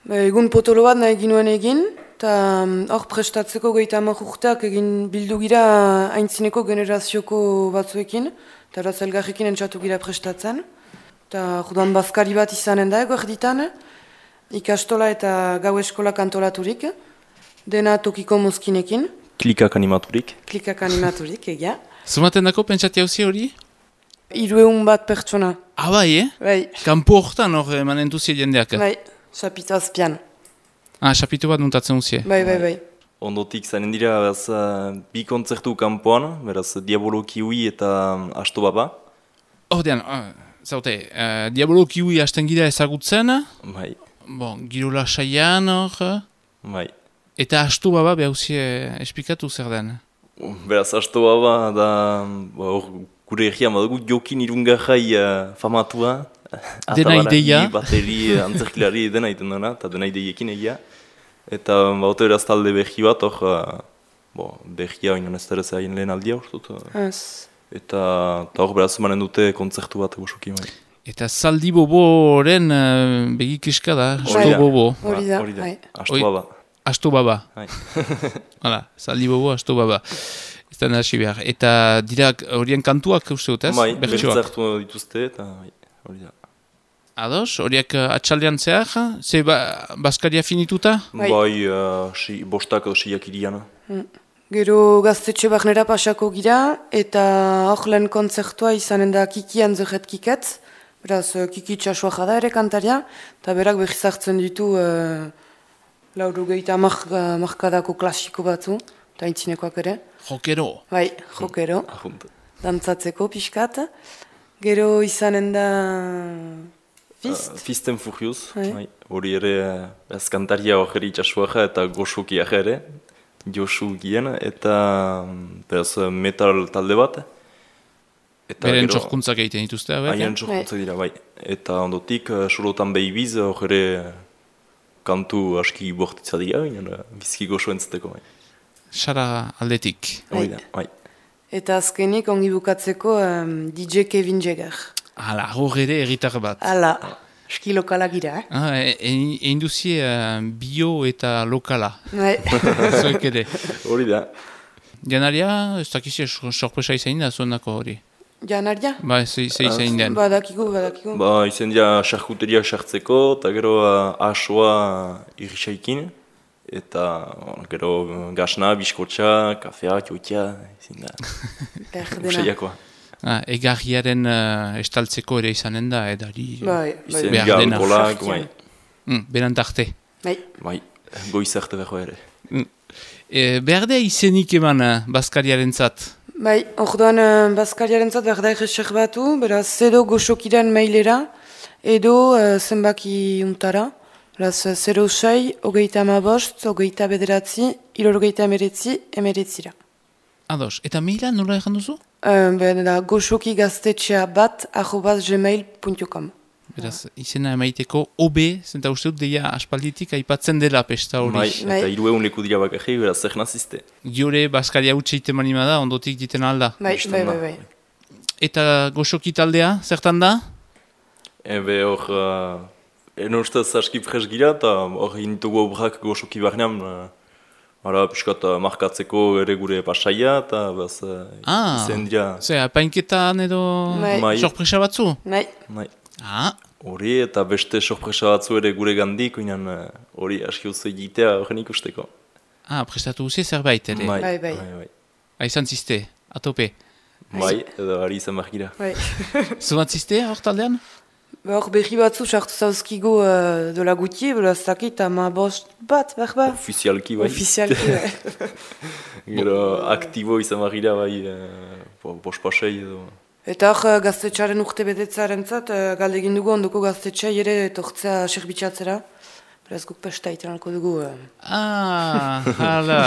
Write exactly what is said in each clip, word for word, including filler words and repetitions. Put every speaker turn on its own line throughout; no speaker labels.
Egun potolo bat nahi ginuen egin, eta hor prestatzeko gehieta hamar urteak egin bildu gira aintzineko generazioko batzuekin, eta horaz elgarrekin entzatu gira prestatzen. Eta judan bazkari bat izanen da ego erditan, ikastola eta gau eskola kantolaturik, dena tokiko mozkinekin.
Klikak animaturik.
Klikak animaturik, egia.
Zumaten dako pentsati hauzi hori?
Hiruehun bat pertsona.
Ah, bai, eh?
Bai.
Kanpo hortan hor eman entuzia jendeak.
Bai, xapito azpian.
Ah, xapito bat nuntatzen uzie.
Bai, bai, bai.
Ondotik zanen dira beraz, uh, bi kontzertu kanpoan, beraz Diabolo Kiwi eta um, Asto Baba.
Ordean, uh, zaute, uh, Diabolo Kiwi hasten gira ezagutzen.
Bai.
Bon, girola saian hor.
Bai.
Eta Asto Baba behauzie esplikatu zer den.
Beraz, Asto Baba da, hor, gure egia madugu jokin irungarrai uh, famatua.
Dena ideia.
Bateri, antzerkilari dena iten dena, eta dena ideiekin egia. Eta baute beraz talde behi bat, hor, uh, bo, behia oinon ez dara zain lehen aldia, urtut.
Ez.
Eta hor beraz manen dute kontzertu bat goxoki bai.
Eta Zaldi Boboren uh, begikiska da, Asto Bobo.
Hori da,
Hori da,
bai.
Asto Baba.
Asto Baba.
Bai.
Hala, Zaldi Bobo, Asto Baba. Ez da hasi behar. Eta dira horien kantuak uste dut ez?
Bai,
Bertsioak.
bertzartu dituzte, eta bai, hori da.
Ados, horiek uh, atxaldean zehar, ze ba, Baskaria finituta?
Bai.
Bai, uh, si, bostak edo siak iriana.
Mm. Gero gaztetxe barnera pasako gira, eta hor lehen kontzertua izanen da Kiki Anzerret Kiketz, beraz Kiki txasua jada ere kantaria, eta berak behiz hartzen ditu uh, lauru gehieta markadako klasiko batzu, eta intzinekoak ere.
Jokero.
Bai, jokero,
Ajunt.
dantzatzeko pixkat. Gero izanen da Fist.
Uh, Fist and Furious,
Bai.
bai. Hori ere, uh, ez kantaria hori itxasuaja eta goxukiak ere, Josu gien, eta um, beraz metal talde bat. Eta
Beren
gero-
txorkuntzak egiten dituzte, abe?
Haien txorkuntzak dira, bai. Eta ondotik, uh, Surotan Behibiz, hori ere kantu aski bortitza dira, baina bizki goxo entzuteko, bai.
Sara aldetik.
Hori da, bai.
Eta azkenik ongi bukatzeko um, D J Kevin Jagger.
Hala, hor ere erritar bat.
Hala, eski lokala gira, eh?
Ah, e- e- egin duzie uh, bio eta lokala.
Bai.
Zoek ere.
Hori da.
Janaria, ez dakizi sorpresa izan da zuenako hori.
Janaria?
Ba, ze ze izan den.
Badakigu, badakigu.
Ba, izen dira xarkuteria sartzeko, eta gero uh, asoa irrisaikin, eta uh, gero uh, gasna, biskotxa, kafea, txoitia, izin da.
Berdena.
Usaiakoa.
Ah, egarriaren uh, estaltzeko ere izanen da, edari.
Bai, bai.
Izen
Behar
dira
dena.
alkolak, bai.
Mm, beran tarte.
Bai.
Bai, goizarte beho ere.
E, berdea izenik eman uh, Baskariaren zat.
Bai, orduan uh, Baskariaren zat behar da erreserbatu, beraz, edo goxokiren mailera, edo uh, zenbaki untara. Beraz, zero sei, hogeita amabost, hogeita bederatzi, hilorgeita emeretzi, emeretzira.
Ados, eta maila nola erran duzu?
Uh, Bera, goxoki gaztetxea bat, arrobaz gmail puntu com.
Beraz, izena emaiteko O B, zenta uste dut deia aspalditik aipatzen dela pesta hori.
Bai,
Bai.
eta hiru egun leku dira bakarri, beraz zer nazizte.
Giore Baskaria utxeite manima da, ondotik diten alda.
Bai,
Bistan
bai,
da.
bai, bai.
Eta goxoki taldea, zertan da?
Ebe hor, uh, eno ustez aski pres gira, eta hor initugu obrak goxoki barnean, uh, ara, piskat uh, markatzeko ere gure pasaia, eta bez, uh,
Ah,
izen dira,
ze, apainketan edo
Bai.
Bai.
sorpresa batzu?
Bai,
nahi.
Ah,
Hori eta beste sorpresa batzu ere gure gandik, oinan uh, hori aski oso egitea horren ikusteko.
ah, prestatu guzi zerbait ere.
Bai, bai.
bai, bai.
Aizan ziste, atope.
Bai, edo ari izan behar gira.
bai.
Zumat ziste, hor taldean?
Hor behi batzu sartu zauzkigu uh, dola guti, beraz dakit ama bost bat, behar ba?
Ofizialki bai.
Ofizialki, bai.
Gero aktibo izan behar gira bai, uh, bospasei edo.
Eta hor uh, gaztetxaren urte betetzaren zat, uh, galde egin dugu ondoko gaztetxea ere etortzea serbitxatzera. Beraz guk pesta iten alko dugu. Uh.
Ah, hala.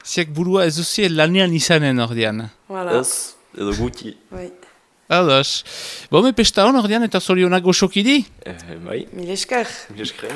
Ziak burua ez duzie lanean izanen ordean.
Voilà.
Ez, edo guti.
Bai.
Ados. Bome pesta hon ordean eta zorionak goxokidi?
Eh, bai,
Mil esker.
mil esker.